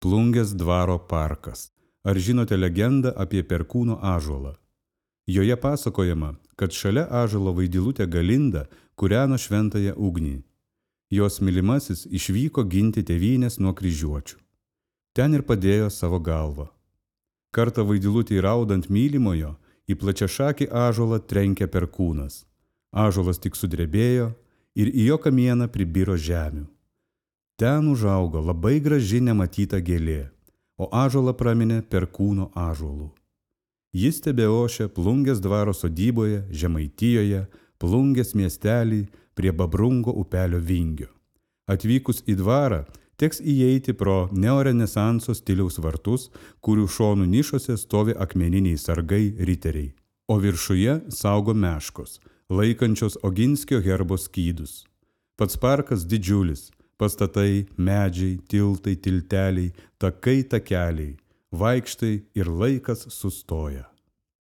Plungės dvaro parkas. Ar žinote legendą apie perkūno ąžuolą? Joje pasakojama, kad šalia ąžuolo vaidilutė Galinda kūreno šventąją ugnį. Jos mylimasis išvyko ginti tėvynės nuo kryžiuočių. Ten ir padėjo savo galvą. Kartą vaidilutei raudant mylimojo, į plačiašakį ąžuolą trenkė perkūnas. Ąžuolas tik sudrebėjo ir į jo kamieną pribiro žemių. Ten užaugo labai graži nematyta gėlė, o ąžuolą praminė perkūno ąžuolu. Jis tebeošia Plungės dvaro sodyboje, Žemaitijoje, Plungės miestelį prie Babrungo upelio vingio. Atvykus į dvarą, teks įeiti pro neorenesanso stiliaus vartus, kurių šonų nišose stovi akmeniniai sargai riteriai, o viršuje saugo meškos, laikančios Oginskio herbo skydus. Pats parkas didžiulis, pastatai, medžiai, tiltai, tilteliai, takai, takeliai, vaikštai ir laikas sustoja.